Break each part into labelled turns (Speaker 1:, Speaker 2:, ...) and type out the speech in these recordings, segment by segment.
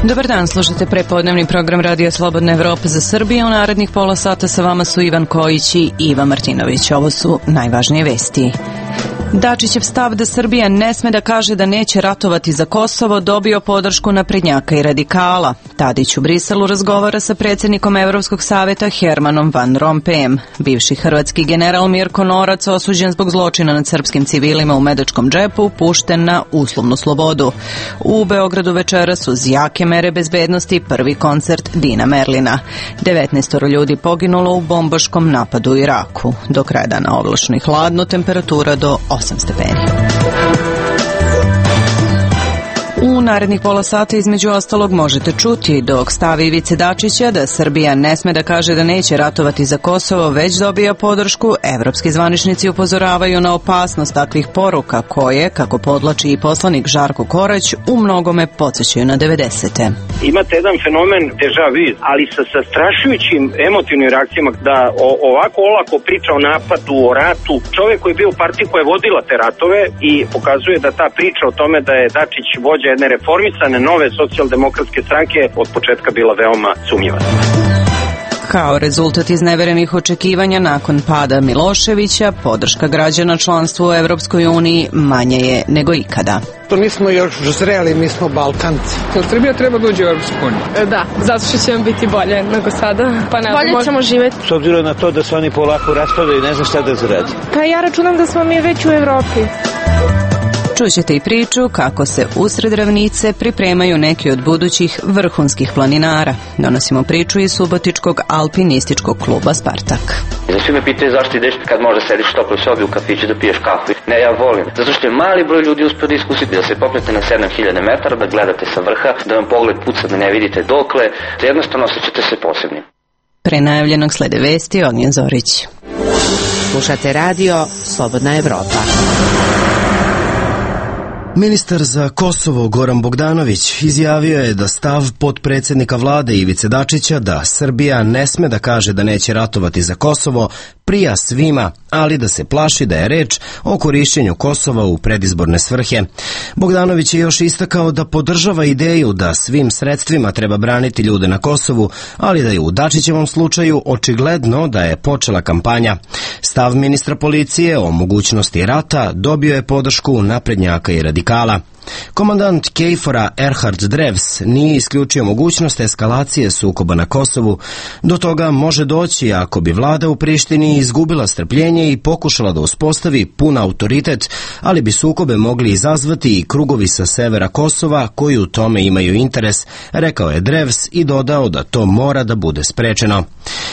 Speaker 1: Dobar dan, slušate prepodnevni program Radija Slobodna Evropa za Srbiju. U narednih pola sata sa vama su Ivan Kojić i Iva Martinović. Ovo su najvažnije vesti. Dačićev stav da Srbija ne sme da kaže da neće ratovati za Kosovo dobio podršku naprednjaka i radikala. Tadić u Briselu razgovara sa predsjednikom Evropskog saveta Hermanom Van Rompujem. Bivši hrvatski general Mirko Norac, osuđen zbog zločina nad srpskim civilima u Medačkom džepu, pušten na uslovnu slobodu. U Beogradu večeras uz jake mere bezbednosti prvi koncert Dina Merlina. 19 ljudi poginulo u bombaškom napadu u Iraku. Do kraja dana oblačno i hladno, temperatura do 8 stepeni. U narednih pola sata između ostalog možete čuti dok stavi Ivice Dačića da Srbija ne sme da kaže da neće ratovati za Kosovo, već dobija podršku. Evropski zvaničnici upozoravaju na opasnost takvih poruka koje, kako podlači i poslanik Žarko Korać, u mnogome podsjećaju na 90.
Speaker 2: Imate jedan fenomen deja vu, ali sa zastrašujućim emotivnim reakcijama da ovako olako priča o napadu, o ratu. Čovjek koji je bio u partiji koja je vodila te ratove i pokazuje da ta priča o tome da je Dačić vođa jedne reformisane nove socijaldemokratske stranke od početka bila veoma sumnjiva.
Speaker 1: Kao rezultat izneverenih očekivanja nakon pada Miloševića, podrška građana članstvu u Evropskoj uniji manje je nego ikada.
Speaker 3: To nismo još zreli, mi smo Balkanci.
Speaker 4: Srbija treba da uđe u Evropsku uniju.
Speaker 5: Da, zato što će vam biti bolje nego sada. Pa ne, bolje ćemo živjeti.
Speaker 6: S obzirom na to da se oni polako raspadaju i ne znam šta da zaradi.
Speaker 5: Pa ja računam da smo mi već u Evropi.
Speaker 1: Čućete i priču kako se usred ravnice pripremaju neki od budućih vrhunskih planinara. Donosimo priču iz subotičkog alpinističkog kluba Spartak.
Speaker 7: Svi me pitaju zašto ideš kad možda sediš u toploj sobi u kafiću da piješ kafu. Ne, ja volim. Zato što je mali broj ljudi uspio da iskusiti da se popnete na 7000 metara, da gledate sa vrha, da vam pogled puca da ne vidite dokle, da jednostavno osjećate se posebnim.
Speaker 1: Pre najavljenog slede vesti Ognjen Zorić.
Speaker 8: Slušate radio Slobodna Evropa.
Speaker 9: Ministar za Kosovo Goran Bogdanović izjavio je da stav potpredsjednika vlade Ivice Dačića da Srbija ne sme da kaže da neće ratovati za Kosovo prija svima, ali da se plaši da je reč o korišćenju Kosova u predizborne svrhe. Bogdanović je još istakao da podržava ideju da svim sredstvima treba braniti ljude na Kosovu, ali da je u Dačićevom slučaju očigledno da je počela kampanja. Stav ministra policije o mogućnosti rata dobio je podršku naprednjaka i radikala. Komandant KFOR-a Erhard Drevs nije isključio mogućnost eskalacije sukoba na Kosovu. Do toga može doći ako bi vlada u Prištini izgubila strpljenje i pokušala da uspostavi pun autoritet, ali bi sukobe mogli izazvati i krugovi sa severa Kosova koji u tome imaju interes, rekao je Drevs i dodao da to mora da bude sprečeno.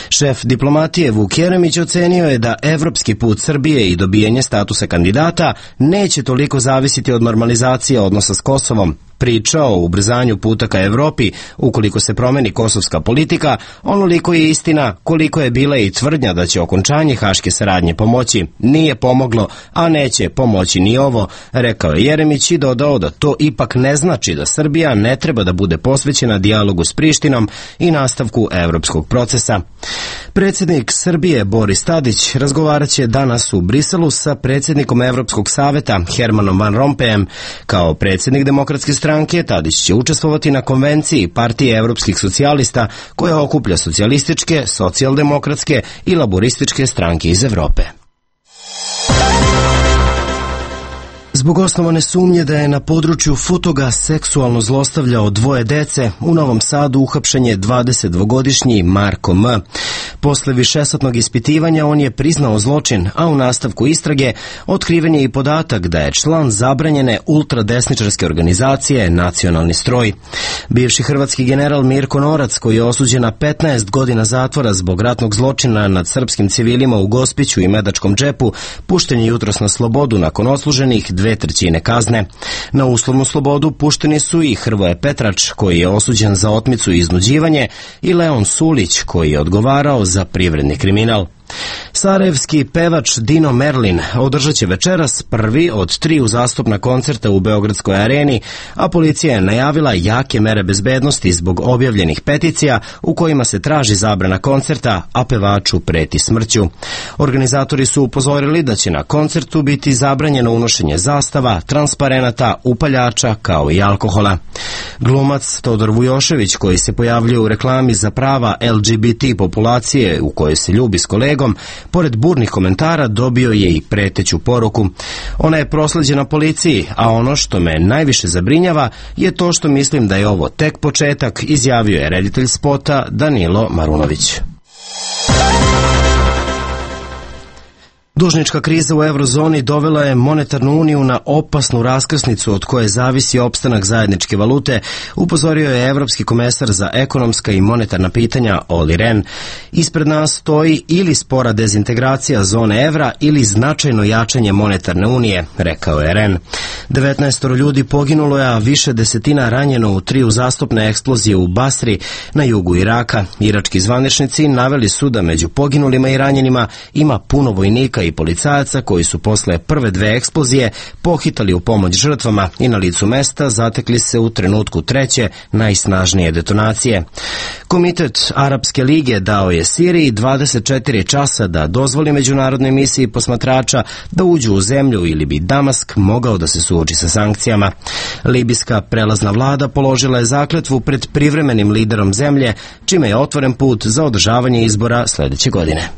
Speaker 9: Šef diplomatije Vuk Jeremić ocenio je da evropski put Srbije i dobijanje statusa kandidata neće toliko zavisiti od normalizacije odnosa s Kosovom. Priča o ubrzanju puta ka Evropi, ukoliko se promeni kosovska politika, onoliko je istina koliko je bila i tvrdnja da će okončanje haške saradnje pomoći. Nije pomoglo, a neće pomoći ni ovo, rekao je Jeremić i dodao da to ipak ne znači da Srbija ne treba da bude posvećena dijalogu s Prištinom i nastavku evropskog procesa. Predsjednik Srbije Boris Tadić razgovarat će danas u Briselu sa predsjednikom Evropskog saveta Hermanom Van Rompujem. Kao predsjednik Demokratske stranke Tadić će učestvovati na konvenciji Partije evropskih socijalista koja okuplja socijalističke, socijaldemokratske i laborističke stranke iz Evrope. Zbog osnovane sumnje da je na području Futoga seksualno zlostavljao 2 dece, u Novom Sadu uhapšen je 22-godišnji Marko M. Posle višesatnog ispitivanja on je priznao zločin, a u nastavku istrage otkriven je i podatak da je član zabranjene ultradesničarske organizacije Nacionalni stroj. Bivši hrvatski general Mirko Norac, koji je osuđen na 15 godina zatvora zbog ratnog zločina nad srpskim civilima u Gospiću i Medačkom džepu, pušten je jutros na slobodu nakon odsluženih 2/3 kazne. Na uslovnu slobodu pušteni su i Hrvoje Petrač, koji je osuđen za otmicu i iznuđivanje, i Leon Sulić, koji je odgovarao za privredni kriminal. Sarajevski pevač Dino Merlin održat će večeras prvi od 3 uzastopna koncerta u Beogradskoj areni, a policija je najavila jake mere bezbednosti zbog objavljenih peticija u kojima se traži zabrana koncerta, a pevaču preti smrću. Organizatori su upozorili da će na koncertu biti zabranjeno unošenje zastava, transparenata, upaljača kao i alkohola. Glumac Todor Vujošević, koji se pojavljuje u reklami za prava LGBT populacije u kojoj se ljubi s kolegom, pored burnih komentara dobio je i preteću poruku. Ona je prosleđena policiji, a ono što me najviše zabrinjava je to što mislim da je ovo tek početak, izjavio je reditelj spota Danilo Marunović. Dužnička kriza u eurozoni dovela je monetarnu uniju na opasnu raskrsnicu od koje zavisi opstanak zajedničke valute, upozorio je evropski komesar za ekonomska i monetarna pitanja Olli Rehn. Ispred nas stoji ili spora dezintegracija zone evra ili značajno jačanje monetarne unije, rekao je Rehn. 19 ljudi poginulo je, a više desetina ranjeno u 3 uzastopne eksplozije u Basri na jugu Iraka. Irački zvaničnici naveli su da među poginulima i ranjenima ima puno vojnika i policajaca koji su posle prve 2 eksplozije pohitali u pomoć žrtvama i na licu mesta zatekli se u trenutku 3. najsnažnije detonacije. Komitet Arapske lige dao je Siriji 24 časa da dozvoli međunarodnoj misiji posmatrača da uđu u zemlju ili bi Damask mogao da se suoči sa sankcijama. Libijska prelazna vlada položila je zakletvu pred privremenim liderom zemlje, čime je otvoren put za održavanje izbora sledeće godine.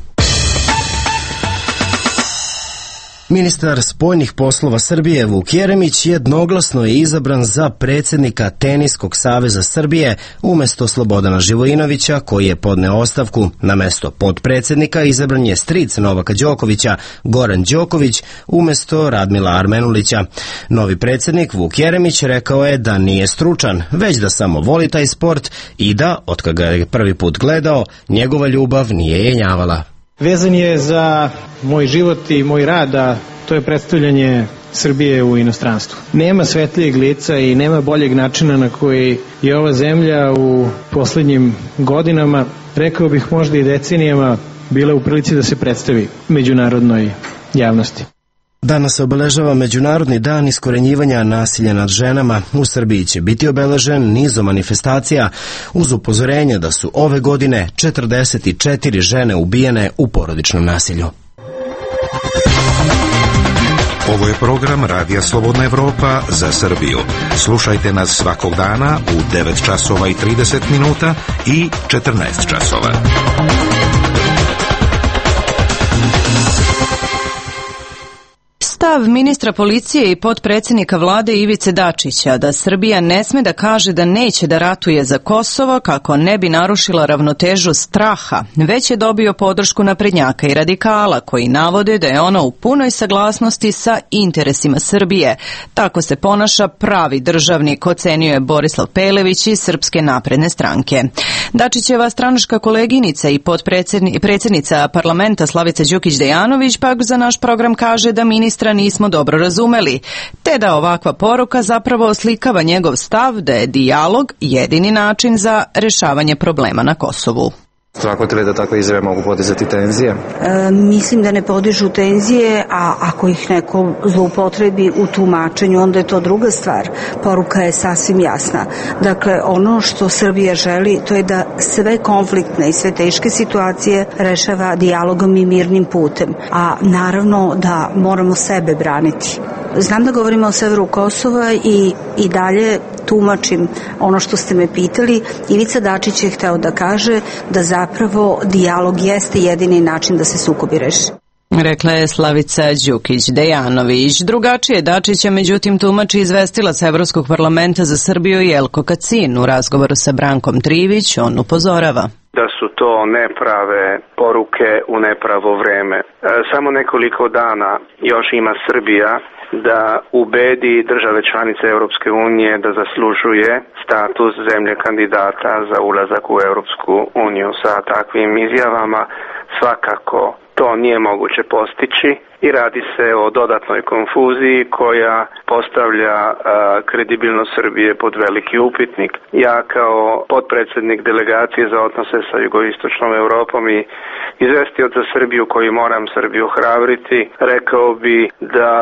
Speaker 9: Ministar spoljnih poslova Srbije Vuk Jeremić jednoglasno je izabran za predsjednika Teniskog saveza Srbije umesto Slobodana Živojinovića, koji je podneo ostavku. Na mesto potpredsjednika izabran je stric Novaka Đokovića, Goran Đoković, umesto Radmila Armenulića. Novi predsjednik Vuk Jeremić rekao je da nije stručan, već da samo voli taj sport i da, od kada ga je prvi put gledao, njegova ljubav nije jenjavala.
Speaker 10: Vezan je za moj život i moj rad, a to je predstavljanje Srbije u inostranstvu. Nema svetlijeg lica i nema boljeg načina na koji je ova zemlja u poslednjim godinama, rekao bih možda i decenijama, bila u prilici da se predstavi međunarodnoj javnosti.
Speaker 9: Danas se obeležava Međunarodni dan iskorenjivanja nasilja nad ženama. U Srbiji će biti obeležen nizom manifestacija uz upozorenje da su ove godine 44 žene ubijene u porodičnom nasilju.
Speaker 11: Ovo je program Radija Slobodna Evropa za Srbiju. Slušajte nas svakog dana u 9 časova i 30 minuta i 14 časova.
Speaker 1: Stav ministra policije i potpredsjednika vlade Ivice Dačića da Srbija ne sme da kaže da neće da ratuje za Kosovo kako ne bi narušila ravnotežu straha, već je dobio podršku naprednjaka i radikala koji navode da je ono u punoj saglasnosti sa interesima Srbije. Tako se ponaša pravi državnik, ocenio je Borislav Pelević iz Srpske napredne stranke. Dačićeva stranačka koleginica i predsjednica parlamenta Slavica Đukić-Dejanović pak za naš program kaže da ministra nismo dobro razumeli, te da ovakva poruka zapravo oslikava njegov stav da je dijalog jedini način za rešavanje problema na Kosovu.
Speaker 12: Smatrate li da takve izjave mogu podizati tenzije?
Speaker 13: Mislim da ne podižu tenzije, a ako ih neko zloupotrebi u tumačenju, onda je to druga stvar. Poruka je sasvim jasna. Dakle, ono što Srbija želi, to je da sve konfliktne i sve teške situacije rešava dijalogom i mirnim putem. A naravno da moramo sebe braniti. Znam da govorimo o severu Kosova i dalje tumačim ono što ste me pitali. Ivica Dačić je hteo da kaže da zapravo dijalog jeste jedini način da se sukobi reši.
Speaker 1: Rekla je Slavica Đukić-Dejanović. Drugačije Dačića međutim tumači izvestilac Evropskog parlamenta za Srbiju Jelko Kacin. U razgovoru sa Brankom Trivić on upozorava
Speaker 14: da su to neprave poruke u nepravo vreme. Samo nekoliko dana još ima Srbija da ubedi države članice Europske unije da zaslužuje status zemlje kandidata za ulazak u Europsku uniju. Sa takvim izjavama svakako to nije moguće postići i radi se o dodatnoj konfuziji koja postavlja kredibilnost Srbije pod veliki upitnik. Ja kao potpredsednik delegacije za odnose sa jugoistočnom Evropom i izvestioc za Srbiju koji moram Srbiju hrabriti, rekao bi da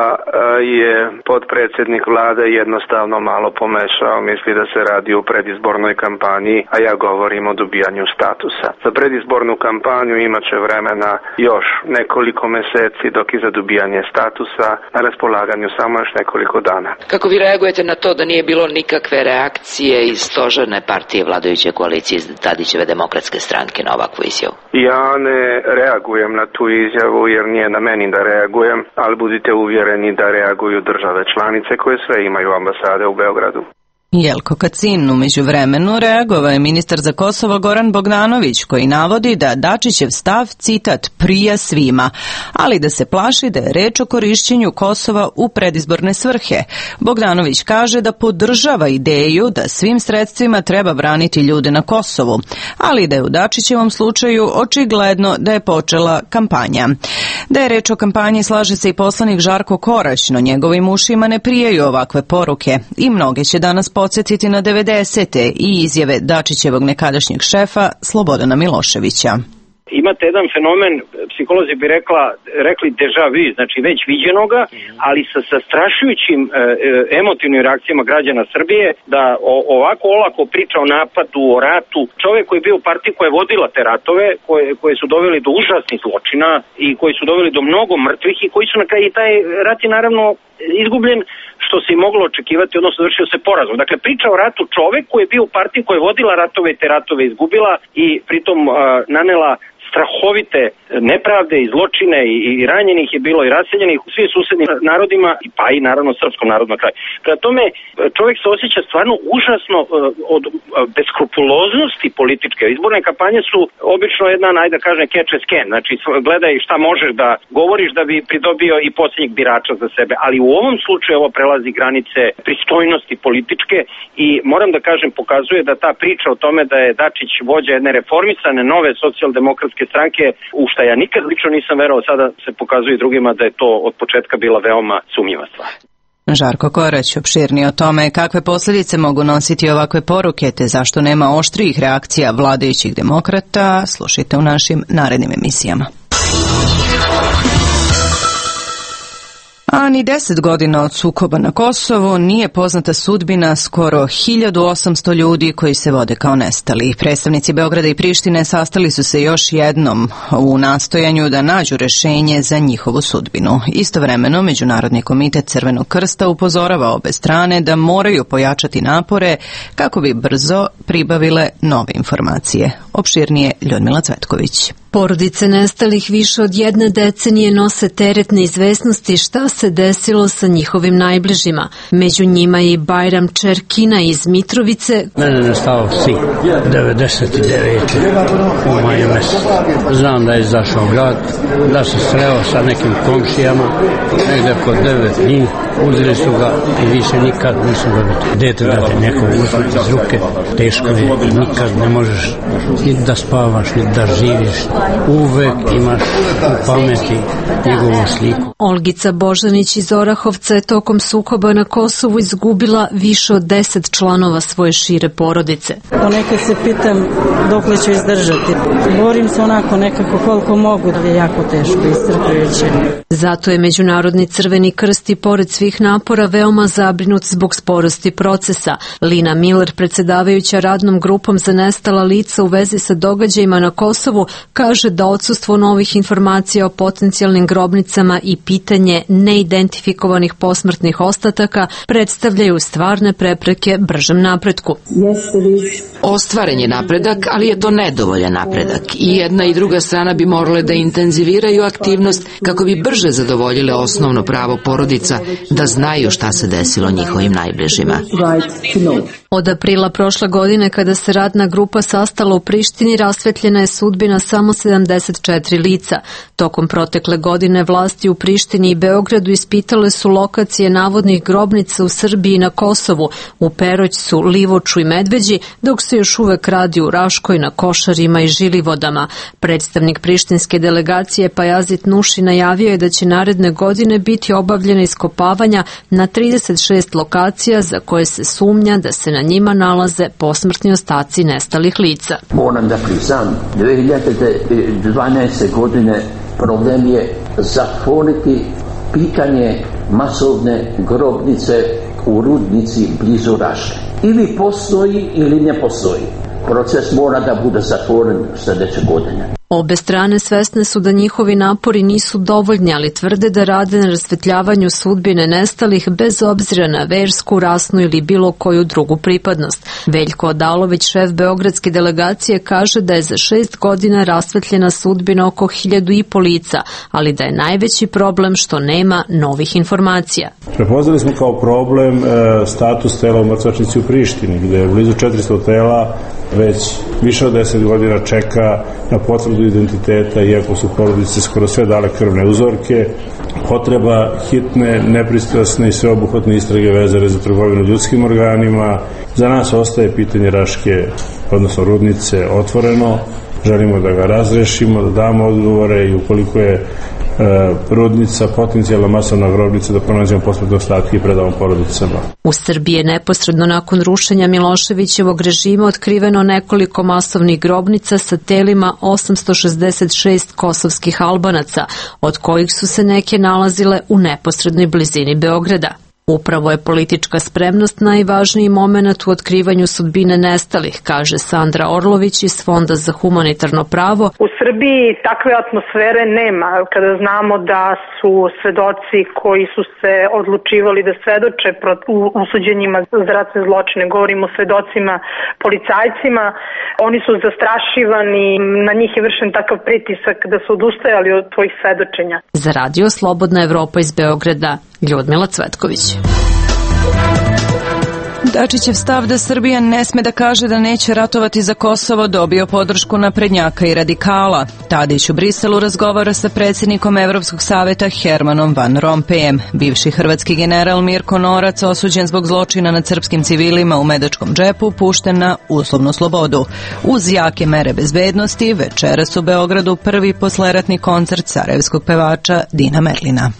Speaker 14: je potpredsednik vlade jednostavno malo pomešao, misli da se radi o predizbornoj kampanji, a ja govorim o dobijanju statusa. Za predizbornu kampanju imaće vremena još nekoliko meseci, dok i za dobijanje statusa na raspolaganju samo još nekoliko dana.
Speaker 15: Kako vi reagujete na to da nije bilo nikakve reakcije iz stožerne partije vladajuće koalicije iz Tadićeve demokratske stranke na ovakvu izjavu?
Speaker 14: Ja ne reagujem na tu izjavu jer nije na meni da reagujem, ali budite uvjereni da reaguju države članice koje sve imaju ambasade u Beogradu.
Speaker 1: Jelko Kacin. U međuvremenu reagovao je ministar za Kosovo Goran Bogdanović, koji navodi da Dačićev stav, citat, prija svima, ali da se plaši da je reč o korišćenju Kosova u predizborne svrhe. Bogdanović kaže da podržava ideju da svim sredstvima treba braniti ljude na Kosovu, ali da je u Dačićevom slučaju očigledno da je počela kampanja. Da je reč o kampanji slaže se i poslanik Žarko Korać, no njegovim ušima ne prijaju ovakve poruke i mnoge će danas podsjetiti na 90. i izjave Dačićevog nekadašnjeg šefa Slobodana Miloševića.
Speaker 2: Imate jedan fenomen, psiholozi bi rekli deja vu, znači već viđenoga, ali sa zastrašujućim emotivnim reakcijama građana Srbije, da ovako olako priča o napadu, o ratu. Čovjek koji je bio u partiji koja je vodila te ratove, koje su doveli do užasnih zločina i koji su doveli do mnogo mrtvih i koji su na kraju, taj rat je naravno izgubljen, što se i moglo očekivati, odnosno završio se porazom. Dakle, priča o ratu čovjek koji je bio u partiji koja je vodila ratove i te ratove izgubila i pritom nanela strahovite nepravde i zločine i ranjenih je bilo i raseljenih u svim susednim narodima, pa i naravno srpskom narodu na kraju. Prema tome, čovjek se osjeća stvarno užasno od beskrupuloznosti političke. Izborne kampanje su obično jedna, ajde da kažem, catch and scan, znači gledaj šta možeš da govoriš da bi pridobio i posljednjeg birača za sebe, ali u ovom slučaju ovo prelazi granice pristojnosti političke i moram da kažem, pokazuje da ta priča o tome da je Dačić vođa jedne reformisane nove socijaldemokratske stranke, u šta ja nikad lično nisam verovao, sada se pokazuje i drugima da je to od početka bila veoma sumnjiva stvar.
Speaker 1: Žarko Korać opširnije o tome kakve posljedice mogu nositi ovakve poruke te zašto nema oštrijih reakcija vladajućih demokrata, slušajte u našim narednim emisijama. A ni 10 godina od sukoba na Kosovu nije poznata sudbina skoro 1800 ljudi koji se vode kao nestali. Predstavnici Beograda i Prištine sastali su se još jednom u nastojanju da nađu rešenje za njihovu sudbinu. Istovremeno, Međunarodni komitet Crvenog krsta upozorava obe strane da moraju pojačati napore kako bi brzo pribavile nove informacije. Opširnije Ljudmila Cvetković.
Speaker 16: Porodice nestalih više od 1 decenije nose teret neizvesnosti šta se desilo sa njihovim najbližima. Među njima je i Bajram Čerkina iz Mitrovice.
Speaker 17: Mene je nestao sin, 99. u maju mesecu. Znam da je izašao grad, da se sreo sa nekim komšijama, negde oko 9 njih, uzeli su ga i više nikad nisu ga vidjeli. Dete da te neko uzme iz ruke, teško je, nikad ne možeš ni da spavaš, ni da živiš. Uvek imaš u pameti njegovu sliku.
Speaker 16: Olgica Božanić iz Orahovca je tokom sukoba na Kosovu izgubila više od 10 članova svoje šire porodice.
Speaker 18: Ponekad se pitam dokle ću izdržati. Borim se onako nekako koliko mogu, da je jako teško iscrpljujuće.
Speaker 16: Zato je Međunarodni Crveni krst i pored svih napora veoma zabrinut zbog sporosti procesa. Lina Miller, predsjedavajuća radnom grupom za nestala lica u vezi sa događajima na Kosovu, kaže da odsustvo novih informacija o potencijalnim grobnicama i pitanje neidentifikovanih posmrtnih ostataka predstavljaju stvarne prepreke bržem napretku.
Speaker 15: Ostvaren je napredak, ali je to nedovoljan napredak i jedna i druga strana bi morale da intenziviraju aktivnost kako bi brže zadovoljile osnovno pravo porodica da znaju šta se desilo njihovim najbližima.
Speaker 16: Od aprila prošle godine, kada se radna grupa sastala u Prištini, rasvetljena je sudbina samo 174 lica. Tokom protekle godine vlasti u Prištini i Beogradu ispitale su lokacije navodnih grobnica u Srbiji i na Kosovu, u Peroćcu, Livoču i Medveđi, dok se još uvek radi u Raškoj, na Košarima i Žilivodama. Predstavnik prištinske delegacije Pajazit Nuši najavio je da će naredne godine biti obavljena iskopavanja na 36 lokacija za koje se sumnja da se na njima nalaze posmrtni ostaci nestalih lica.
Speaker 19: Moram da priznam, 2012. godine problem je zatvoriti pitanje masovne grobnice u Rudnici blizu Raške. Ili postoji ili ne postoji. Proces mora da bude zatvoren sljedeće godine.
Speaker 16: Obe strane svesne su da njihovi napori nisu dovoljni, ali tvrde da rade na rasvetljavanju sudbine nestalih bez obzira na versku, rasnu ili bilo koju drugu pripadnost. Veljko Odalović, šef beogradske delegacije, kaže da je za 6 godina rasvetljena sudbina oko 1500 lica, ali da je najveći problem što nema novih informacija.
Speaker 20: Prepoznali smo kao problem status tela u mrtvačnici u Prištini, gde je blizu 400 tela već više od 10 godina čeka na potvrdu identiteta, iako su porodice skoro sve dale krvne uzorke. Potreba hitne, nepristrasne i sveobuhvatne istrage vezane za trgovinu ljudskim organima. Za nas ostaje pitanje Raške, odnosno Rudnice, otvoreno. Želimo da ga razrešimo, da damo odgovore i ukoliko je Rudnica potencijalna masovna grobnica da pronađemo posmrtne ostatke i predamo porodicama.
Speaker 16: U Srbiji je neposredno nakon rušenja Miloševićevog režima otkriveno nekoliko masovnih grobnica sa telima 866 kosovskih Albanaca, od kojih su se neke nalazile u neposrednoj blizini Beograda. Upravo je politička spremnost najvažniji moment u otkrivanju sudbine nestalih, kaže Sandra Orlović iz Fonda za humanitarno pravo.
Speaker 21: U Srbiji takve atmosfere nema. Kada znamo da su svedoci koji su se odlučivali da svedoče u suđenjima za ratne zločine, govorimo o svedocima, policajcima, oni su zastrašivani, na njih je vršen takav pritisak da su odustajali od tvojih svedočenja.
Speaker 16: Za radio Slobodna Evropa iz Beograda, Ljudmila Cvetković.
Speaker 1: Dačićev stav da Srbija ne sme da kaže da neće ratovati za Kosovo dobio podršku naprednjaka i radikala. Tadić u Briselu razgovara sa predsjednikom Evropskog saveta Hermanom Van Rompujem. Bivši hrvatski general Mirko Norac, osuđen zbog zločina nad srpskim civilima u Medačkom džepu, pušten na uslovnu slobodu. Uz jake mere bezbednosti, večeras u Beogradu prvi posleratni koncert sarajevskog pevača Dina Merlina.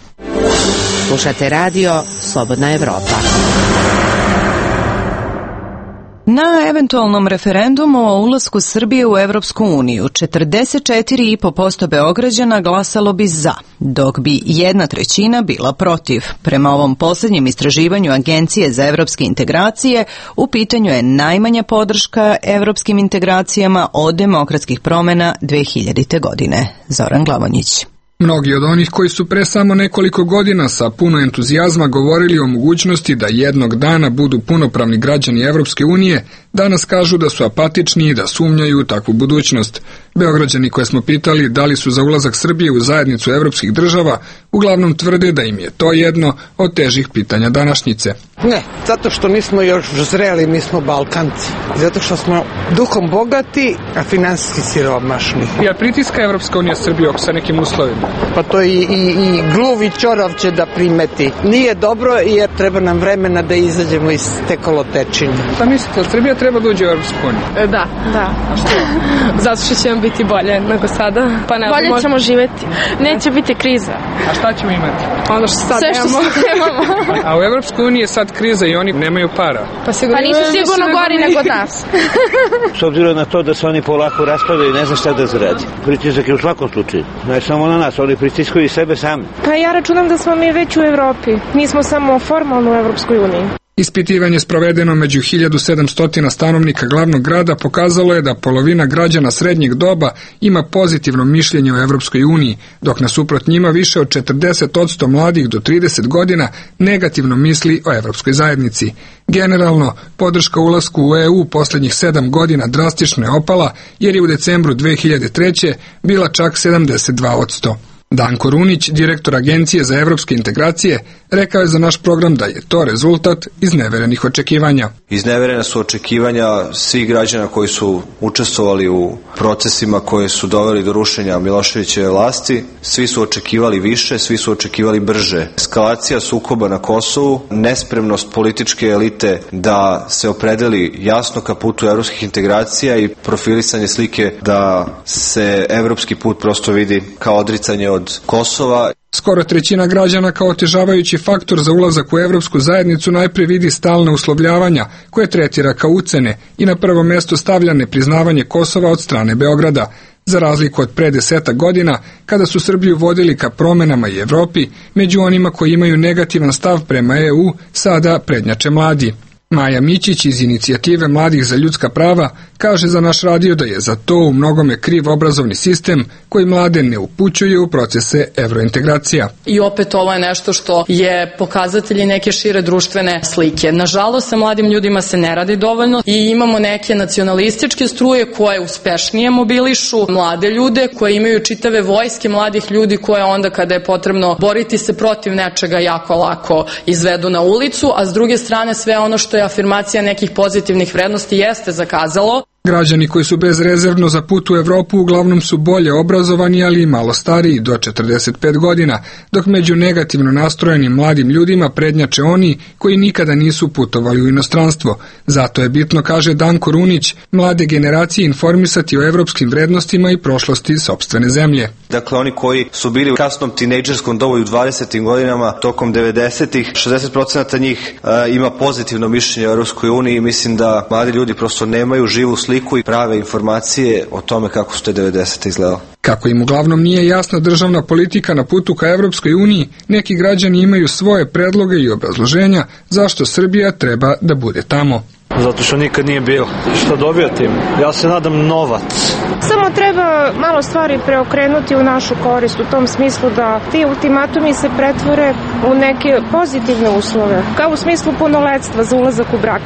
Speaker 8: Slušate radio Slobodna Evropa.
Speaker 1: Na eventualnom referendumu o ulasku Srbije u Evropsku uniju 44,5% Beograđana glasalo bi za, dok bi 1/3 bila protiv. Prema ovom posljednjem istraživanju Agencije za evropske integracije, u pitanju je najmanja podrška evropskim integracijama od demokratskih promjena 2000. godine. Zoran Glavonjić.
Speaker 4: Mnogi od onih koji su pre samo nekoliko godina sa puno entuzijazma govorili o mogućnosti da jednog dana budu punopravni građani Evropske unije, danas kažu da su apatični i da sumnjaju u takvu budućnost. Beograđani koje smo pitali da li su za ulazak Srbije u zajednicu evropskih država, uglavnom tvrde da im je to jedno od težih pitanja današnjice.
Speaker 3: Ne, zato što nismo još zreli, mi smo Balkanci. Zato što smo duhom bogati, a finansijski siromašni.
Speaker 4: Jel pritiska Evropska unija Srbiju sa nekim uslovima?
Speaker 3: Pa to i gluv i ćorav će da primeti. Nije dobro jer treba nam vremena da izađemo iz te kolotečine.
Speaker 4: Šta mislite, Srbija treba da uđe u Evropsku uniju?
Speaker 5: Da. A što? Zato što će vam biti bolje nego sada. Pa ne, bolje ćemo živeti. Neće biti kriza.
Speaker 4: A šta ćemo imati?
Speaker 5: Ono što sad nemamo.
Speaker 4: A u Evropskoj uniji je sad kriza i oni nemaju para.
Speaker 5: Pa nisu sigurno gori nego nas.
Speaker 6: S obzirom na to da se oni polako raspadaju i ne zna šta da zaradi. Pritisak je u svakom slučaju. Ne samo na nas, oni pritiskaju i sebe sami.
Speaker 5: Pa ja računam da smo mi već u Evropi. Nismo samo formalno u Evropskoj uniji.
Speaker 4: Ispitivanje sprovedeno među 1700 stanovnika glavnog grada pokazalo je da polovina građana srednjeg doba ima pozitivno mišljenje o Evropskoj uniji, dok nasuprot njima više od 40% mladih do 30 godina negativno misli o Evropskoj zajednici. Generalno, podrška ulasku u EU posljednjih 7 godina drastično je opala, jer je u decembru 2003. bila čak 72%. Danko Runić, direktor Agencije za evropske integracije, rekao je za naš program da je to rezultat izneverenih očekivanja.
Speaker 7: Izneverena su očekivanja svih građana koji su učestvovali u procesima koje su doveli do rušenja Miloševićeve vlasti. Svi su očekivali više, svi su očekivali brže. Eskalacija sukoba na Kosovu, nespremnost političke elite da se opredeli jasno ka putu evropskih integracija i profilisanje slike da se evropski put prosto vidi kao odricanje od Kosova.
Speaker 4: Skoro trećina građana kao otežavajući faktor za ulazak u evropsku zajednicu najpre vidi stalna uslovljavanja koje tretira kao ucene i na prvo mesto stavlja nepriznavanje Kosova od strane Beograda. Za razliku od pre 10 godina, kada su Srbiju vodili ka promenama i Evropi, među onima koji imaju negativan stav prema EU, sada prednjače mladi. Maja Mićić iz Inicijative mladih za ljudska prava kaže za naš radio da je za to u mnogome kriv obrazovni sistem koji mlade ne upućuje u procese evrointegracija.
Speaker 22: I opet ovo je nešto što je pokazatelj neke šire društvene slike. Nažalost, sa mladim ljudima se ne radi dovoljno i imamo neke nacionalističke struje koje uspešnije mobilišu mlade ljude, koje imaju čitave vojske mladih ljudi koje onda kada je potrebno boriti se protiv nečega jako lako izvedu na ulicu, a s druge strane sve ono što je afirmacija nekih pozitivnih vrednosti jeste zakazalo.
Speaker 4: Građani koji su bezrezervno za put u Evropu uglavnom su bolje obrazovani, ali i malo stariji, do 45 godina, dok među negativno nastrojenim mladim ljudima prednjače oni koji nikada nisu putovali u inostranstvo. Zato je bitno, kaže Danko Runić, mlade generacije informisati o evropskim vrednostima i prošlosti sopstvene zemlje.
Speaker 7: Dakle, oni koji su bili u kasnom tinejdžerskom dobu u 20. godinama, tokom 90-ih, 60% njih ima pozitivno mišljenje o Evropskoj uniji i mislim da mladi ljudi prosto nemaju živu sliku i prave informacije o tome kako su te 90. izgledali.
Speaker 4: Kako im uglavnom nije jasna državna politika na putu ka Evropskoj uniji, neki građani imaju svoje predloge i obrazloženja zašto Srbija treba da bude tamo.
Speaker 23: Zato što nikad nije bilo. Što dobija tim? Ja se nadam novac.
Speaker 24: Samo treba malo stvari preokrenuti u našu korist, u tom smislu da ti ultimatumi se pretvore u neke pozitivne uslove, kao u smislu punoletstva za ulazak u brak.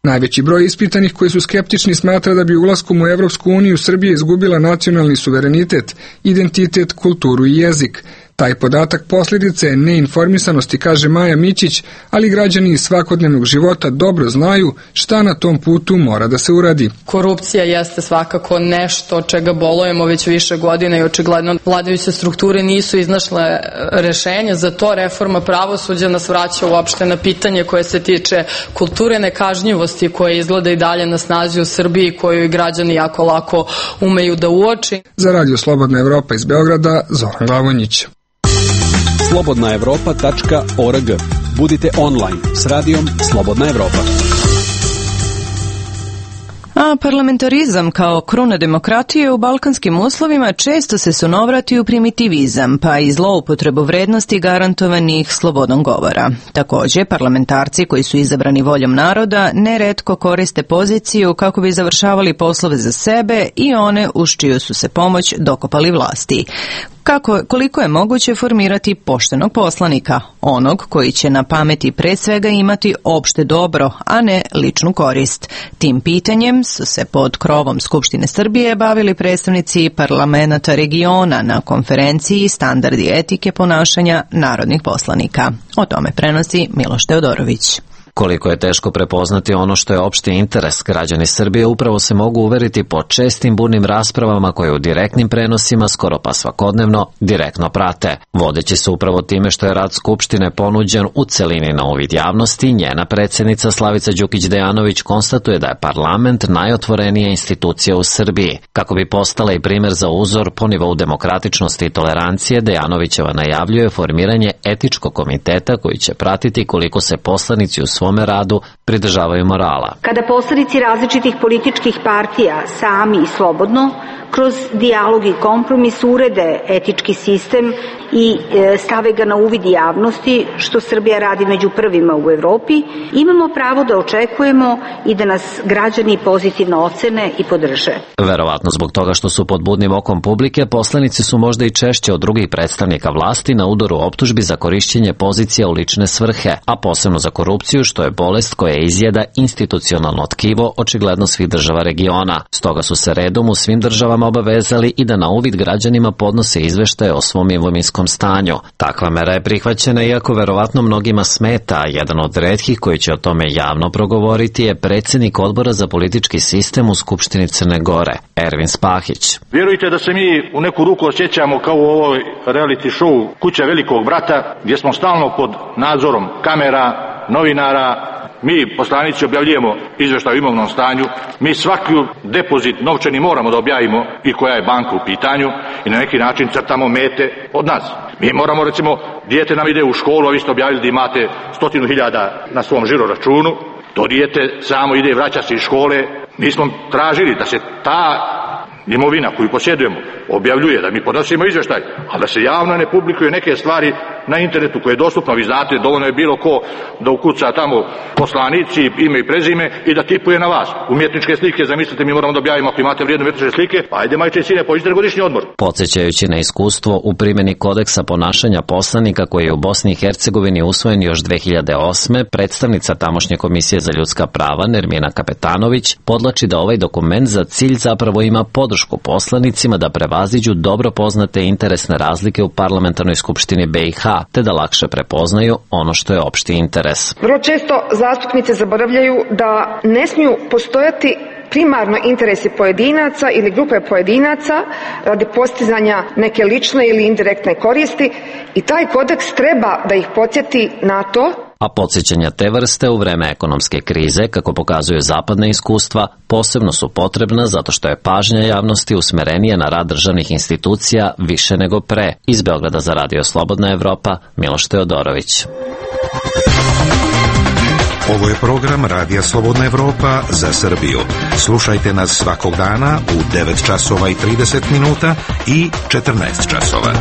Speaker 4: Najveći broj ispitanih koji su skeptični smatra da bi ulaskom u Evropsku uniju Srbija izgubila nacionalni suverenitet, identitet, kulturu i jezik. Taj podatak posljedice je neinformisanosti, kaže Maja Mićić, ali građani iz svakodnevnog života dobro znaju šta na tom putu mora da se uradi.
Speaker 22: Korupcija jeste svakako nešto od čega bolujemo već više godina i očigledno vladajuće strukture nisu iznašle rešenje. Za to reforma pravosuđa nas vraća uopšte na pitanje koje se tiče kulture nekažnjivosti koja izgleda i dalje na snazi u Srbiji, koju i građani jako lako umeju da uoči.
Speaker 4: Za Radio Slobodna Evropa iz Beograda, Zoran Glavonjić.
Speaker 25: slobodnaevropa.org. Budite online s radijom Slobodna Evropa.
Speaker 1: A parlamentarizam kao kruna demokratije u balkanskim uslovima često se sunovrati u primitivizam, pa i zloupotrebu vrednosti garantovanih slobodom govora. Također, parlamentarci koji su izabrani voljom naroda neretko koriste poziciju kako bi završavali poslove za sebe i one uz čiju su se pomoć dokopali vlasti. Koliko je moguće formirati poštenog poslanika, onog koji će na pameti pre svega imati opšte dobro, a ne ličnu korist. Tim pitanjem su se pod krovom Skupštine Srbije bavili predstavnici parlamenata regiona na konferenciji Standardi etike ponašanja narodnih poslanika. O tome prenosi Miloš Teodorović.
Speaker 26: Koliko je teško prepoznati ono što je opšti interes, građani Srbije upravo se mogu uveriti po čestim burnim raspravama koje u direktnim prenosima skoro pa svakodnevno direktno prate. Vodeći se upravo time što je rad Skupštine ponuđen u celini na uvid javnosti, njena predsjednica Slavica Đukić-Dejanović konstatuje da je parlament najotvorenija institucija u Srbiji. Kako bi postala i primjer za uzor po nivou demokratičnosti i tolerancije, Dejanovićeva najavljuje formiranje etičkog komiteta koji će pratiti koliko se poslanici u svome radu pridržavaju morala.
Speaker 27: Kada poslanici različitih političkih partija sami i slobodno, kroz dijalog i kompromis urede etički sistem i stave ga na uvid javnosti, što Srbija radi među prvima u Evropi, imamo pravo da očekujemo i da nas građani pozitivno ocene i podrže.
Speaker 26: Verovatno zbog toga što su pod budnim okom publike, poslanici su možda i češće od drugih predstavnika vlasti na udaru optužbi za korišćenje pozicija u lične svrhe, a posebno za korupciju, što što je bolest koja izjeda institucionalno tkivo očigledno svih država regiona. Stoga su se redom u svim državama obavezali i da na uvid građanima podnose izveštaje o svom imovinskom stanju. Takva mera je prihvaćena iako verovatno mnogima smeta, a jedan od retkih koji će o tome javno progovoriti je predsjednik odbora za politički sistem u Skupštini Crne Gore, Ervin Spahić.
Speaker 2: Vjerujte da se mi u neku ruku osjećamo kao u ovoj reality show Kuća velikog brata, gdje smo stalno pod nadzorom kamera, novinara. Mi, poslanici, objavljujemo izveštaj o imovnom stanju, mi svaki depozit novčani moramo da objavimo i koja je banka u pitanju i na neki način crtamo mete od nas. Mi moramo, recimo, dijete nam ide u školu, a vi ste objavili da imate 100.000 na svom žiro računu, to dijete samo ide i vraća se iz škole. Mi smo tražili da se ta imovina koju posjedujemo objavljuje, da mi podnosimo izveštaj, ali da se javno ne publikuje neke stvari na internetu koje je dostupno. Vi znate, dovoljno je bilo ko da ukuca tamo poslanici, ime i prezime i da tipuje na vas. Umjetničke slike, zamislite, mi moramo da objavimo ako imate vrijedne umjetničke slike, pa ajde majče i sine, pođite na godišnji odmor.
Speaker 26: Podsjećajući na iskustvo u primjeni kodeksa ponašanja poslanika koji je u Bosni i Hercegovini usvojen još 2008. predstavnica tamošnje Komisije za ljudska prava Nermina Kapetanović podlači da ovaj dokument za cilj zapravo ima podršku poslanicima da prevaziđu dobro poznate interesne razlike u parlamentarnoj skupštini BiH, te da lakše prepoznaju ono što je opšti interes.
Speaker 9: Vrlo često zastupnici zaboravljaju da ne smiju postojati primarno interesi pojedinaca ili grupe pojedinaca radi postizanja neke lične ili indirektne koristi i taj kodeks treba da ih podsjeti na to.
Speaker 26: A podsjećanja te vrste u vreme ekonomske krize, kako pokazuju zapadna iskustva, posebno su potrebna zato što je pažnja javnosti usmerenija na rad državnih institucija više nego pre. Iz Beograda za Radio Slobodna Evropa, Miloš Teodorović.
Speaker 10: Ovo je program Radija Slobodna Evropa za Srbiju. Slušajte nas svakog dana u 9 časova i 30 minuta i 14 časova.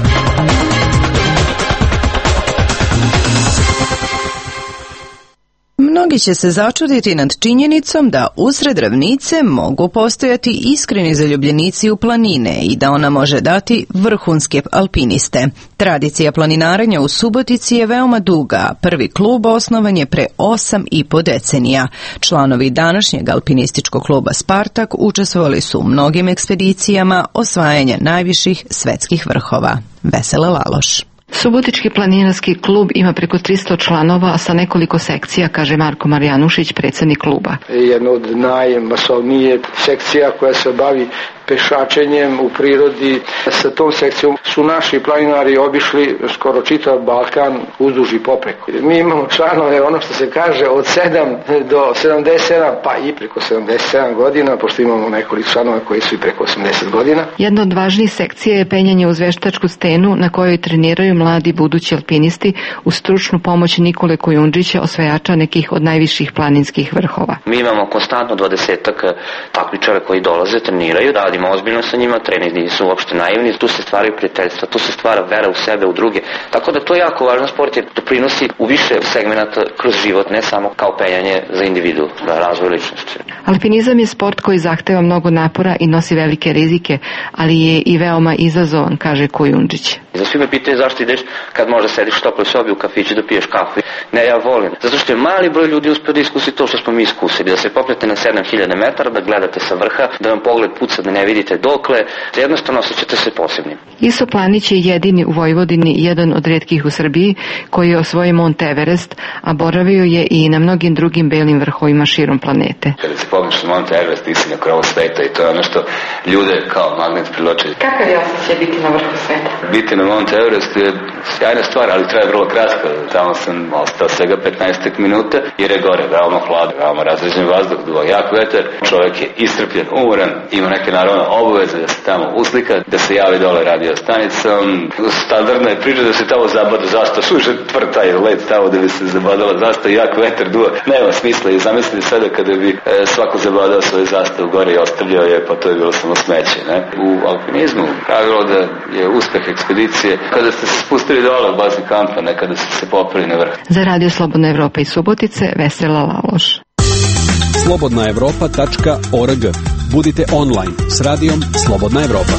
Speaker 1: Mnogi će se začuditi nad činjenicom da usred ravnice mogu postojati iskreni zaljubljenici u planine i da ona može dati vrhunske alpiniste. Tradicija planinarenja u Subotici je veoma duga. Prvi klub osnovan je pre 8,5 decenija. Članovi današnjeg alpinističkog kluba Spartak učestvovali su u mnogim ekspedicijama osvajanja najviših svetskih vrhova. Vesela Laloš.
Speaker 11: Subotički planinarski klub ima preko 300 članova sa nekoliko sekcija, kaže Marko Marjanušić, predsjednik kluba.
Speaker 12: Jedna od najmasovnije sekcija koja se bavi pešačenjem u prirodi. Sa tom sekcijom su naši planinari obišli skoro čitav Balkan uzduž i popreko. Mi imamo članove, ono što se kaže, od 7 do 77, pa i preko 77 godina, pošto imamo nekoliko članova koji su i preko 80 godina.
Speaker 11: Jedna od važnijih sekcija je penjanje uz veštačku stenu na kojoj treniraju mladi budući alpinisti uz stručnu pomoć Nikole Kojundžića, osvajača nekih od najviših planinskih vrhova.
Speaker 13: Mi imamo konstantno 20-ak takmičara koji dolaze, treniraju, radimo ozbiljno sa njima, treninzi nisu uopšte naivni, tu se stvaraju prijateljstva, tu se stvara vera u sebe, u druge. Tako da to je jako važan sport jer doprinosi u više segmenata kroz život, ne samo kao penjanje za individu, za razvoj ličnosti.
Speaker 11: Alpinizam je sport koji zahteva mnogo napora i nosi velike rizike, ali je i veoma izazovan, kaže Kojundžić.
Speaker 13: Za svi me pitaju zašto ideš kad možda sediš u toploj sobi u kafiću da piješ kafu. Ne, ja volim. Zato što je mali broj ljudi uspio da iskusi to što smo mi iskusili. Da se popnete na 7000 metara, da gledate sa vrha, da vam pogled puca, da ne vidite dokle. Jednostavno osjećate se posebnim.
Speaker 11: Iso Planić je jedini u Vojvodini, jedan od rijetkih u Srbiji, koji je osvojio Mont Everest, a boravio je i na mnogim drugim belim vrhovima širom planete.
Speaker 13: Kada se popneš na Mont Everest, ti si na krovu sveta i to je ono što ljude kao magnet privlači.
Speaker 11: Kakav je osjećaj biti na vrhu sveta?
Speaker 13: Biti na Mont Everest je sjajna stvar, ali traje vrlo kratko. Tamo sam ostao svega 15 minuta jer je gore veoma hladno, veoma razređen vazduh, jak vetar. Čovjek je iscrpljen, umoran, ima neke naravno obaveze da se tamo uslika, da se javi dole radio stanicom. Standardna je priča da se tamo zabada zastava, suže tvrd taj led tamo da bi se zabadala zastava, jak vetar duva. Nema smisla i zamislite sada kada bi svako zabadao svoju zastavu gore i ostavljao je, pa to je bilo samo smeće. Ne? U alpinizmu pravilo da je uspeh ekspedicije kada ste se spustili dole u bazni kampa, ne kada ste se popeli na vrh.
Speaker 11: Za Radio Slobodna Evropa i Subotice, Vesela Laloš.
Speaker 25: slobodnaevropa.org. Budite online s radijom Slobodna Evropa.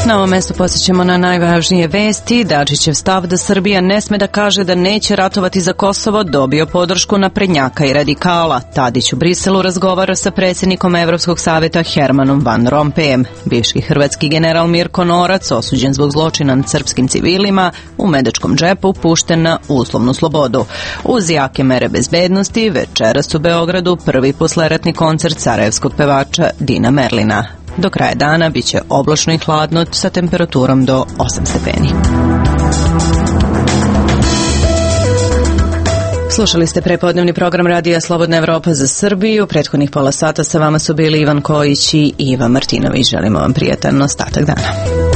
Speaker 1: Na ovom mestu podsjećamo na najvažnije vesti. Dačićev stav da Srbija ne sme da kaže da neće ratovati za Kosovo dobio podršku naprednjaka i radikala. Tadić u Briselu razgovara sa predsjednikom Evropskog savjeta Hermanom Van Rompujem. Bivši hrvatski general Mirko Norac, osuđen zbog zločina nad srpskim civilima, u Medačkom džepu pušten na uslovnu slobodu. Uz jake mere bezbednosti, večeras u Beogradu prvi posleratni koncert sarajevskog pevača Dina Merlina. Do kraja dana biće oblačno i hladno sa temperaturom do 8 stepeni. Slušali ste prepodnevni program Radija Slobodna Evropa za Srbiju. Prethodnih pola sata sa vama su bili Ivan Kojić i Iva Martinović. Želimo vam prijatan ostatak dana.